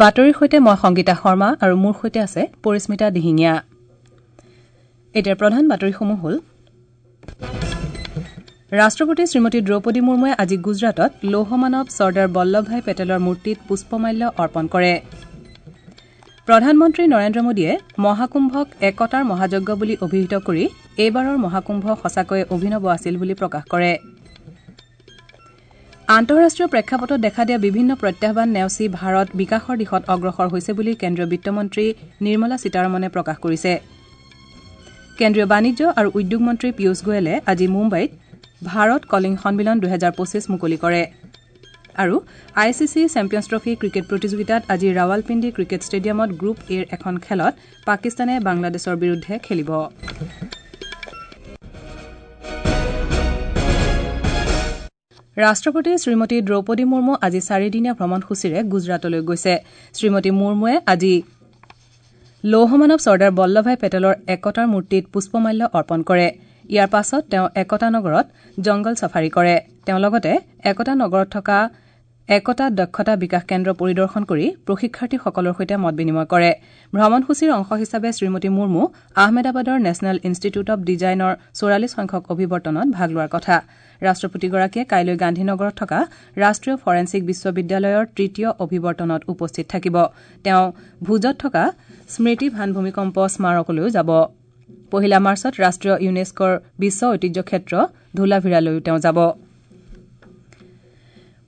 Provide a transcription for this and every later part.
বাতৰিৰ সৈতে মই সংগীতা শৰ্মা আৰু মোৰ সৈতে আছে পৰিস্মিতা দিহিঙীয়া। এতিয়া প্ৰধান বাতৰিসমূহ হ'ল ৰাষ্ট্ৰপতি শ্ৰীমতী দ্ৰৌপদী মুৰ্মুৱে আজি গুজৰাটত লৌহমানৱ চৰ্দাৰ বল্লভভাই পেটেলৰ মূৰ্তিত পুষ্পমাল্য অৰ্পণ কৰে। প্ৰধানমন্ত্ৰী নৰেন্দ্ৰ মোদীয়ে মহাকুম্ভক একতাৰ মহাযজ্ঞ বুলি অভিহিত কৰি এইবাৰৰ মহাকুম্ভ সঁচাকৈয়ে অভিনৱ আছিল বুলি প্ৰকাশ কৰে। আন্তঃৰাষ্ট্ৰীয় প্ৰেক্ষাপটত দেখা দিয়া বিভিন্ন প্ৰত্যাহ্বান নেওচি ভাৰত বিকাশৰ দিশত অগ্ৰসৰ হৈছে বুলি কেন্দ্ৰীয় বিত্তমন্ত্ৰী নিৰ্মলা সীতাৰমণে প্ৰকাশ কৰিছে। কেন্দ্ৰীয় বাণিজ্য আৰু উদ্যোগ মন্ত্ৰী পীয়ুষ গোৱেলে আজি মুম্বাইত ভাৰত কলিং সন্মিলন ২০২৫ মুকলি কৰে। আৰু I C C Champions Trophy cricket প্ৰতিযোগিতাত আজি ৰাৱালপিণ্ডি ক্ৰিকেট ষ্টেডিয়ামত গ্ৰুপ এৰ এখন খেলত পাকিস্তানে বাংলাদেশৰ বিৰুদ্ধে খেলিব। ৰাষ্ট্ৰপতি শ্ৰীমতী দ্ৰৌপদী মুৰ্মু আজি চাৰিদিনীয়া ভ্ৰমণসূচীৰে গুজৰাটলৈ গৈছে। শ্ৰীমতী মুৰ্মুৱে আজি লৌহমানৱ চৰ্দাৰ বল্লভভাই পেটেলৰ একতাৰ মূৰ্তিত পুষ্পমাল্য অৰ্পণ কৰে। ইয়াৰ পাছত তেওঁ একতা নগৰত জংগল ছাফাৰী কৰে। তেওঁ লগতে একতা নগৰত থকা একতা দক্ষতা বিকাশ কেন্দ্ৰ পৰিদৰ্শন কৰি প্ৰশিক্ষাৰ্থীসকলৰ সৈতে মত বিনিময় কৰে। ভ্ৰমণসূচীৰ অংশ হিচাপে শ্ৰীমতী মুৰ্মু আহমেদাবাদৰ নেশ্যনেল ইনষ্টিটিউট অৱ ডিজাইনৰ ৪৪ সংখ্যক অভিৱৰ্তনত ভাগ লোৱাৰ কথা। ৰাষ্ট্ৰপতিগৰাকীয়ে কাইলৈ গান্ধীনগৰত থকা ৰাষ্ট্ৰীয় ফৰেনছিক বিশ্ববিদ্যালয়ৰ তৃতীয় অভিৱৰ্তনত উপস্থিত থাকিব। তেওঁ ভুজত থকা স্মৃতি ভান ভূমিকম্প স্মাৰকলৈও যাব। ১ মাৰ্চত ৰাষ্ট্ৰীয় ইউনেস্কোৰ বিশ্ব ঐতিহ্য ক্ষেত্ৰ ধোলাভিৰালৈও তেওঁ যাব।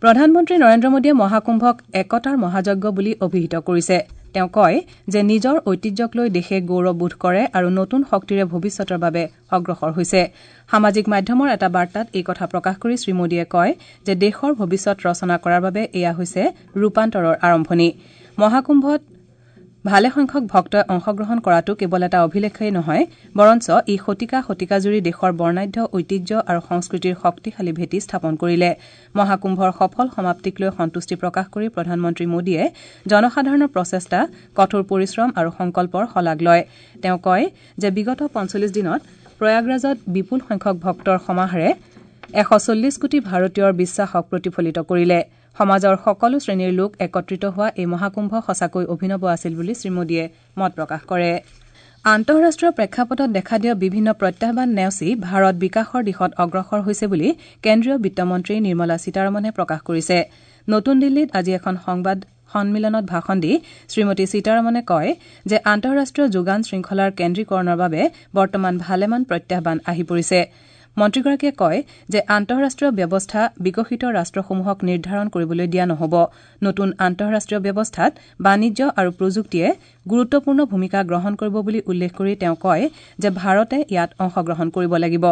প্ৰধানমন্ত্ৰী নৰেন্দ্ৰ মোদীয়ে মহাকুম্ভক একতাৰ মহাযজ্ঞ বুলি অভিহিত কৰিছে। তেওঁ কয় যে নিজৰ ঐতিহ্যক লৈ দেশে গৌৰৱবোধ কৰে আৰু নতুন শক্তিৰে ভৱিষ্যতৰ বাবে অগ্ৰসৰ হৈছে। সামাজিক মাধ্যমৰ এটা বাৰ্তাত এই কথা প্ৰকাশ কৰি শ্ৰীমোদীয়ে কয় যে দেশৰ ভৱিষ্যত ৰচনা কৰাৰ বাবে এয়া হৈছে ৰূপান্তৰৰ আৰম্ভণি। মহাকুম্ভত ভালেসংখ্যক ভক্তই অংশগ্ৰহণ কৰাটো কেৱল এটা অভিলেখেই নহয়, বৰঞ্চ ই শতিকা শতিকাজুৰি দেশৰ বৰ্ণাঢ্য ঐতিহ্য আৰু সংস্কৃতিৰ শক্তিশালী ভেটি স্থাপন কৰিলে। মহাকুম্ভৰ সফল সমাপ্তিক লৈ সন্তুষ্টি প্ৰকাশ কৰি প্ৰধানমন্ত্ৰী মোদীয়ে জনসাধাৰণৰ প্ৰচেষ্টা, কঠোৰ পৰিশ্ৰম আৰু সংকল্পৰ শলাগ লয়। তেওঁ কয় যে বিগত ৪৫ দিনত প্ৰয়াগৰাজত বিপুল সংখ্যক ভক্তৰ সমাহাৰে ১৪০ কোটি ভাৰতীয়ৰ বিশ্বাসক প্ৰতিফলিত কৰিলে। সমাজৰ সকলো শ্ৰেণীৰ লোক একত্ৰিত হোৱা এই মহাকুম্ভ সঁচাকৈ অভিনৱ আছিল বুলি শ্ৰীমোদীয়ে মত প্ৰকাশ কৰে। আন্তঃৰাষ্ট্ৰীয় প্ৰেক্ষাপটত দেখা দিয়া বিভিন্ন প্ৰত্যাহ্বান নেওচি ভাৰত বিকাশৰ দিশত অগ্ৰসৰ হৈছে বুলি কেন্দ্ৰীয় বিত্তমন্ত্ৰী নিৰ্মলা সীতাৰমণে প্ৰকাশ কৰিছে। নতুন দিল্লীত আজি এখন সংবাদ সন্মিলনত ভাষণ দি শ্ৰীমতী সীতাৰমণে কয় যে আন্তঃৰাষ্ট্ৰীয় যোগান শৃংখলাৰ কেন্দ্ৰীকৰণৰ বাবে বৰ্তমান ভালেমান প্ৰত্যাহ্বান আহি পৰিছে। মন্ত্ৰীগৰাকীয়ে কয় যে আন্তঃৰাষ্ট্ৰীয় ব্যৱস্থা বিকশিত ৰাষ্ট্ৰসমূহক নিৰ্ধাৰণ কৰিবলৈ দিয়া নহ'ব। নতুন আন্তঃৰাষ্ট্ৰীয় ব্যৱস্থাত বাণিজ্য আৰু প্ৰযুক্তিয়ে গুৰুত্বপূৰ্ণ ভূমিকা গ্ৰহণ কৰিব বুলি উল্লেখ কৰি তেওঁ কয় যে ভাৰতে ইয়াত অংশগ্ৰহণ কৰিব লাগিব।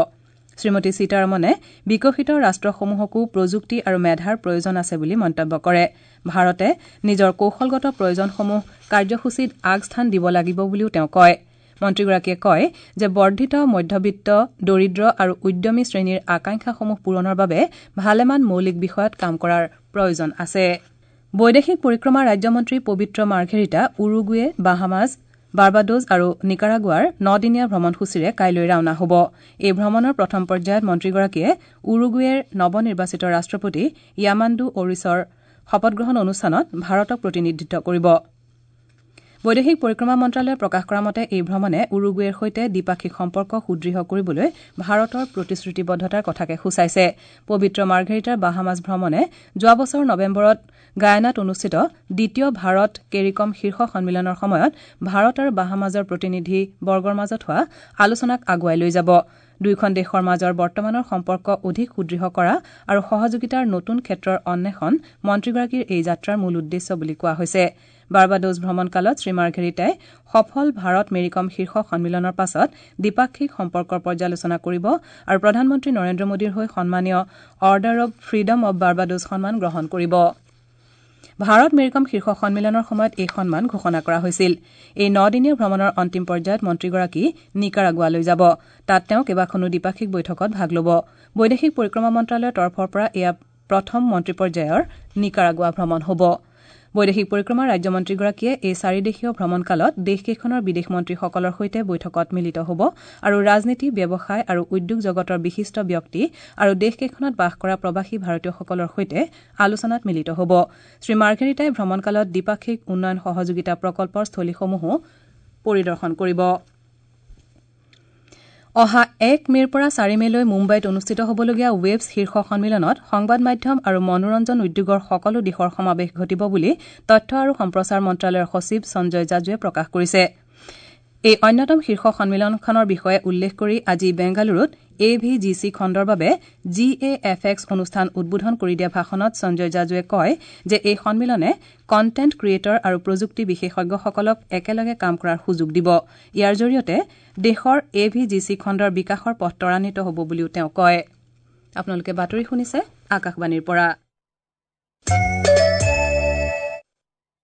শ্ৰীমতী সীতাৰমণে বিকশিত ৰাষ্ট্ৰসমূহকো প্ৰযুক্তি আৰু মেধাৰ প্ৰয়োজন আছে বুলি মন্তব্য কৰে। ভাৰতে নিজৰ কৌশলগত প্ৰয়োজনসমূহ কাৰ্যসূচীত আগস্থান দিব লাগিব বুলিও তেওঁ কয়। মন্ত্ৰীগৰাকীয়ে কয় যে বৰ্ধিত মধ্যবিত্ত, দৰিদ্ৰ আৰু উদ্যমী শ্ৰেণীৰ আকাংক্ষাসমূহ পূৰণৰ বাবে ভালেমান মৌলিক বিষয়ত কাম কৰাৰ প্ৰয়োজন আছে। বৈদেশিক পৰিক্ৰমা ৰাজ্যমন্ত্ৰী পবিত্ৰ মাৰ্ঘেৰিটা উৰুগুৱে, বাহামাছ, বাৰ্বাডোজ আৰু নিকাৰাগুৱাৰ ৯দিনীয়া ভ্ৰমণসূচীৰে কাইলৈ ৰাওনা হ'ব। এই ভ্ৰমণৰ প্ৰথম পৰ্যায়ত মন্ত্ৰীগৰাকীয়ে উৰুগুৱেৰ নৱনিৰ্বাচিত ৰাষ্ট্ৰপতি য়ামাণ্ডু অৰিছৰ শপতগ্ৰহণ অনুষ্ঠানত ভাৰতক প্ৰতিনিধিত্ব কৰিব। বৈদেশিক পৰিক্ৰমা মন্ত্ৰালয়ে প্ৰকাশ কৰা মতে এই ভ্ৰমণে উৰুগুৱেৰ সৈতে দ্বিপাক্ষিক সম্পৰ্ক সুদৃঢ় কৰিবলৈ ভাৰতৰ প্ৰতিশ্ৰুতিবদ্ধতাৰ কথাকে সূচাইছে। পবিত্ৰ মাৰ্ঘেৰিটাৰ বাহামাছ ভ্ৰমণে যোৱা বছৰ নৱেম্বৰত গায়ানাত অনুষ্ঠিত দ্বিতীয় ভাৰত কেৰিকম শীৰ্ষ সন্মিলনৰ সময়ত ভাৰত আৰু বাহামাছৰ প্ৰতিনিধি বৰ্গৰ মাজত হোৱা আলোচনাক আগুৱাই লৈ যাব। দুয়োখন দেশৰ মাজৰ বৰ্তমানৰ সম্পৰ্ক অধিক সুদৃঢ় কৰা আৰু সহযোগিতাৰ নতুন ক্ষেত্ৰৰ অন্বেষণ মন্ত্ৰীগৰাকীৰ এই যাত্ৰাৰ মূল উদ্দেশ্য বুলি কোৱা হৈছে। বাৰ্বাডোজ ভ্ৰমণকালত শ্ৰীমাৰ্ঘেৰিটাই সফল ভাৰত মেৰিকম শীৰ্ষ সন্মিলনৰ পাছত দ্বিপাক্ষিক সম্পৰ্কৰ পৰ্যালোচনা কৰিব আৰু প্ৰধানমন্ত্ৰী নৰেন্দ্ৰ মোদীৰ হৈ সন্মানীয় Order of Freedom of Barbados সন্মান গ্ৰহণ কৰিব। ভাৰত মেৰিকম শীৰ্ষ সন্মিলনৰ সময়ত এই সন্মান ঘোষণা কৰা হৈছিল। এই ৯দিনীয়া ভ্ৰমণৰ অন্তিম পৰ্যায়ত মন্ত্ৰীগৰাকী নিকাৰাগুৱালৈ যাব। তাত তেওঁ কেইবাখনো দ্বিপাক্ষিক বৈঠকত ভাগ ল'ব। বৈদেশিক পৰিক্ৰমা মন্ত্ৰালয়ৰ তৰফৰ পৰা এয়া প্ৰথম মন্ত্ৰী পৰ্যায়ৰ নিকাৰাগুৱা ভ্ৰমণ হ'ব। বৈদেশিক পৰিক্ৰমা ৰাজ্যমন্ত্ৰীগৰাকীয়ে এই চাৰিদেশীয় ভ্ৰমণকালত দেশকেইখনৰ বিদেশ মন্ত্ৰীসকলৰ সৈতে বৈঠকত মিলিত হ'ব আৰু ৰাজনীতি, ব্যৱসায় আৰু উদ্যোগ জগতৰ বিশিষ্ট ব্যক্তি আৰু দেশকেইখনত বাস কৰা প্ৰৱাসী ভাৰতীয়সকলৰ সৈতে আলোচনাত মিলিত হ'ব। শ্ৰীমাৰ্ঘেৰিটাই ভ্ৰমণকালত দ্বিপাক্ষিক উন্নয়ন সহযোগিতা প্ৰকল্পৰ স্থলীসমূহো পৰিদৰ্শন কৰিব। অহা ১ মে'ৰ পৰা ৪ মে'লৈ মুম্বাইত অনুষ্ঠিত হ'বলগীয়া ৱেভছ শীৰ্ষ সন্মিলনত সংবাদ মাধ্যম আৰু মনোৰঞ্জন উদ্যোগৰ সকলো দিশৰ সমাৱেশ ঘটিব বুলি তথ্য আৰু সম্প্ৰচাৰ মন্ত্ৰালয়ৰ সচিব সঞ্জয় জাজুৱে প্ৰকাশ কৰিছে। এই অন্যতম শীৰ্ষ সন্মিলনখনৰ বিষয়ে উল্লেখ কৰি আজি বেংগালুৰুত এ ভি জি চি খণ্ডৰ বাবে জি এ এফ এক্স অনুষ্ঠান উদ্বোধন কৰি দিয়া ভাষণত সঞ্জয় জাজুৱে কয় যে এই সন্মিলনে কণ্টেণ্ট ক্ৰিয়েটৰ আৰু প্ৰযুক্তি বিশেষজ্ঞসকলক একেলগে কাম কৰাৰ সুযোগ দিব। ইয়াৰ জৰিয়তে দেশৰ এ ভি জি চি খণ্ডৰ বিকাশৰ পথ ত্বৰান্বিত হ'ব বুলিও তেওঁ কয়। আপোনালোকে বাতৰি শুনিছে আকাশবাণীৰ পৰা।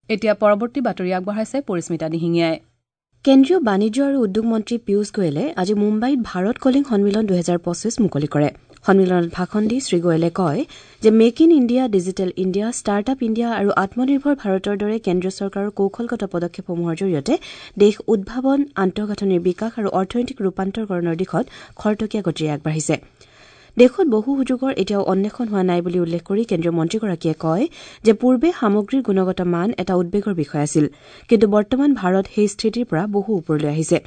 এতিয়া পৰৱৰ্তী বাতৰি আগবঢ়াইছে পৰিস্মিতা দিহিঙীয়াই। কেন্দ্ৰীয় বাণিজ্য আৰু উদ্যোগ মন্ত্ৰী পীয়ুষ গোৱেলে আজি মুম্বাইত ভাৰত কলিং সন্মিলন ২০২৫ মুকলি কৰে। সন্মিলনত ভাষণ দি শ্ৰীগোৱেলে কয় যে make in India, digital India, startup India আৰু আত্মনিৰ্ভৰ ভাৰতৰ দৰে কেন্দ্ৰীয় চৰকাৰৰ কৌশলগত পদক্ষেপসমূহৰ জৰিয়তে দেশ উদ্ভাৱন, আন্তঃগাঁথনিৰ বিকাশ আৰু অৰ্থনৈতিক ৰূপান্তৰকৰণৰ দিশত খৰতকীয়া গতিৰে আগবাঢ়িছে। দেশত বহু সুযোগৰ এতিয়াও অন্বেষণ হোৱা নাই বুলি উল্লেখ কৰি কেন্দ্ৰীয় মন্ত্ৰীগৰাকীয়ে কয় যে পূৰ্বে সামগ্ৰীৰ গুণগত মান এটা উদ্বেগৰ বিষয় আছিল, কিন্তু বৰ্তমান ভাৰত সেই স্থিতিৰ পৰা বহু ওপৰলৈ আহিছে।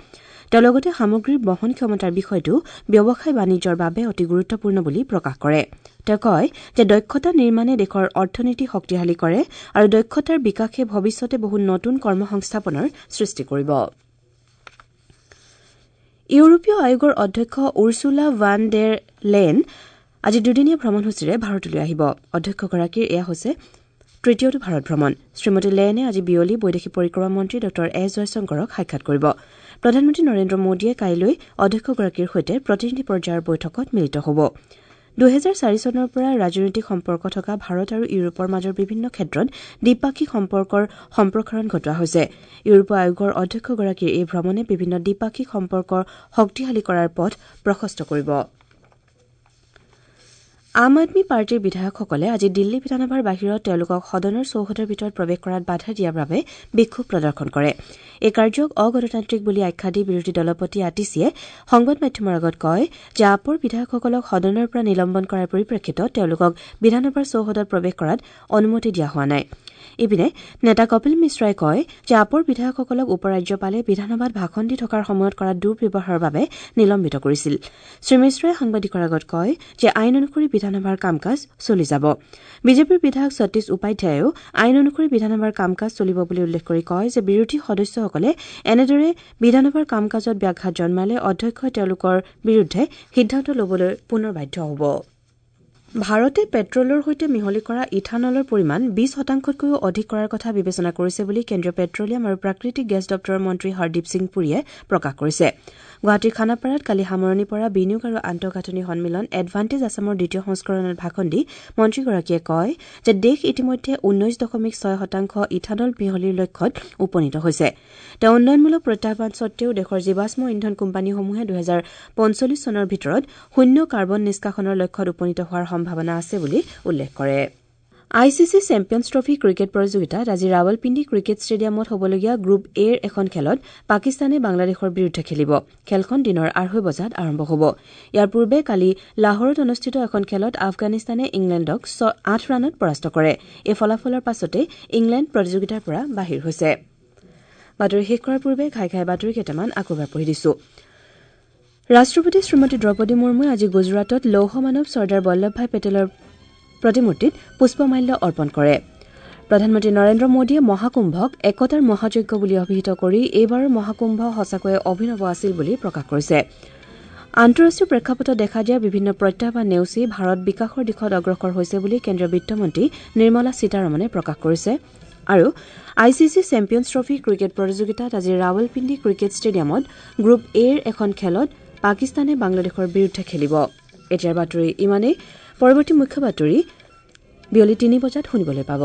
তেওঁ লগতে সামগ্ৰীৰ বহন ক্ষমতাৰ বিষয়টো ব্যৱসায় বাণিজ্যৰ বাবে অতি গুৰুত্বপূৰ্ণ বুলি প্ৰকাশ কৰে। তেওঁ কয় যে দক্ষতা নিৰ্মাণে দেশৰ অৰ্থনীতি শক্তিশালী কৰে আৰু দক্ষতাৰ বিকাশে ভৱিষ্যতে বহু নতুন কৰ্মসংস্থাপনৰ সৃষ্টি কৰিব। ইউৰোপীয় আয়োগৰ অধ্যক্ষ উৰ্চুলা ভান ডেৰ লেন আজি দুদিনীয়া ভ্ৰমণসূচীৰে ভাৰতলৈ আহিব। অধ্যক্ষগৰাকীৰ এয়া হৈছে তৃতীয়টো ভাৰত ভ্ৰমণ। শ্ৰীমতী লেনে আজি বিয়লি বৈদেশিক পৰিক্ৰমা মন্ত্ৰী ডঃ এছ জয়শংকৰক সাক্ষাৎ কৰিব। প্ৰধানমন্ত্ৰী নৰেন্দ্ৰ মোদীয়ে কাইলৈ অধ্যক্ষগৰাকীৰ সৈতে প্ৰতিনিধি পৰ্যায়ৰ বৈঠকত মিলিত হ'ব। ২০০৪ চনৰ পৰা ৰাজনৈতিক সম্পৰ্ক থকা ভাৰত আৰু ইউৰোপৰ মাজৰ বিভিন্ন ক্ষেত্ৰত দ্বিপাক্ষিক সম্পৰ্কৰ সম্প্ৰসাৰণ ঘটোৱা হৈছে। ইউৰোপীয় আয়োগৰ অধ্যক্ষগৰাকীৰ এই ভ্ৰমণে বিভিন্ন দ্বিপাক্ষিক সম্পৰ্ক শক্তিশালী কৰাৰ পথ প্ৰশস্ত কৰিব। আম আদমী পাৰ্টীৰ বিধায়কসকলে আজি দিল্লী বিধানসভাৰ বাহিৰত তেওঁলোকক সদনৰ চৌহদৰ ভিতৰত প্ৰৱেশ কৰাত বাধা দিয়াৰ বাবে বিক্ষোভ প্ৰদৰ্শন কৰে। এই কাৰ্যক অগণতান্ত্ৰিক বুলি আখ্যা দি বিৰোধী দলপতি আতিশীয়ে সংবাদ মাধ্যমৰ আগত কয় যে আপৰ বিধায়কসকলক সদনৰ পৰা নিলম্বন কৰাৰ পৰিপ্ৰেক্ষিতত তেওঁলোকক বিধানসভাৰ চৌহদত প্ৰৱেশ কৰাত অনুমতি দিয়া হোৱা নাই। ইপিনে নেতা কপিল মিশ্ৰই কয় যে আপৰ বিধায়কসকলক উপ ৰাজ্যপালে বিধানসভাত ভাষণ দি থকাৰ সময়ত কৰা দুৰ্ব্যৱহাৰৰ বাবে নিলম্বিত কৰিছিল। শ্ৰীমিশ্ৰই সাংবাদিকৰ আগত কয় যে আইন অনুসৰি বিধানসভাৰ কাম কাজ চলি যাব। বিজেপিৰ বিধায়ক সতীশ উপাধ্যায়েও আইন অনুসৰি বিধানসভাৰ কাম কাজ চলিব বুলি উল্লেখ কৰি কয় যে বিৰোধী সদস্যসকলে এনেদৰে বিধানসভাৰ কাম কাজত ব্যাঘাত জন্মালে অধ্যক্ষই তেওঁলোকৰ বিৰুদ্ধে সিদ্ধান্ত ল'বলৈ পুনৰ বাধ্য হ'ব। ভাৰতে পেট্ৰলৰ সৈতে মিহলি কৰা ইথানলৰ পৰিমাণ ২০ শতাংশতকৈও অধিক কৰাৰ কথা বিবেচনা কৰিছে বুলি কেন্দ্ৰীয় পেট্ৰলিয়াম আৰু প্ৰাকৃতিক গেছ দপ্তৰৰ মন্ত্ৰী হৰদীপ সিং পুৰীয়ে প্ৰকাশ কৰিছে। গুৱাহাটীৰ খানাপাৰাত কালি সামৰণি পৰা বিনিয়োগ আৰু আন্তঃগাঁথনি সন্মিলন এডভান্টেজ আছামৰ দ্বিতীয় সংস্কৰণত ভাষণ দি মন্ত্ৰীগৰাকীয়ে কয় যে দেশ ইতিমধ্যে ১৯.৬ শতাংশ ইথানল মিহলিৰ লক্ষ্যত উপনীত হৈছে। তেওঁ উন্নয়নমূলক প্ৰত্যাহ্বান সত্বেও দেশৰ জীৱাশ্ম ইন্ধন কোম্পানীসমূহে ২০৪৫ চনৰ ভিতৰত শূন্য কাৰ্বন নিষ্কাশনৰ লক্ষ্যত উপনীত হোৱাৰ সম্ভাৱনা আছে বুলি উল্লেখ কৰে। I C C champions trophy cricket প্ৰতিযোগিতাত আজি ৰাৱলপিণ্ডি ক্ৰিকেট ষ্টেডিয়ামত হ'বলগীয়া গ্ৰুপ এৰ এখন খেলত পাকিস্তানে বাংলাদেশৰ বিৰুদ্ধে খেলিব। খেলখন দিনৰ ২:৩০ বজাত আৰম্ভ হ'ব। ইয়াৰ পূৰ্বে কালি লাহোৰত অনুষ্ঠিত এখন খেলত আফগানিস্তানে ইংলেণ্ডক ৮ ৰানত পৰাস্ত কৰে। এই ফলাফলৰ পাছতে ইংলেণ্ড প্ৰতিযোগিতাৰ পৰা বাহিৰ হৈছে। বাতৰি শেষ কৰাৰ পূৰ্বে ঘাই ঘাই বাতৰি কেইটামান আকৌ এবাৰ পঢ়ি দিছো। ৰাষ্ট্ৰপতি শ্ৰীমতী দ্ৰৌপদী মুৰ্মুৱে আজি গুজৰাটত লৌহ মানৱ চৰ্দাৰ বল্লভভাই পেটেলৰ প্ৰতিমূৰ্তিত পুষ্পমাল্য অৰ্পণ কৰে। প্ৰধানমন্ত্ৰী নৰেন্দ্ৰ মোদীয়ে মহাকুম্ভক একতাৰ মহাযজ্ঞ বুলি অভিহিত কৰি এইবাৰৰ মহাকুম্ভ সঁচাকৈয়ে অভিনৱ আছিল বুলি প্ৰকাশ কৰিছে। আন্তঃৰাষ্ট্ৰীয় প্ৰেক্ষাপটত দেখা দিয়া বিভিন্ন প্ৰত্যাহ্বান নেওচি ভাৰত বিকাশৰ দিশত অগ্ৰসৰ হৈছে বুলি কেন্দ্ৰীয় বিত্তমন্ত্ৰী নিৰ্মলা সীতাৰমণে প্ৰকাশ কৰিছে। আৰু I C C champions trophy cricket প্ৰতিযোগিতাত আজি ৰাৱলপিণ্ডি ক্ৰিকেট ষ্টেডিয়ামত গ্ৰুপ এৰ এখন খেলত পাকিস্তানে বাংলাদেশৰ বিৰুদ্ধে খেলিব। এতিয়াৰ বাতৰি ইমানেই। পৰৱৰ্তী মুখ্য বাতৰি বিয়লি ৩ বজাত শুনিবলৈ পাব।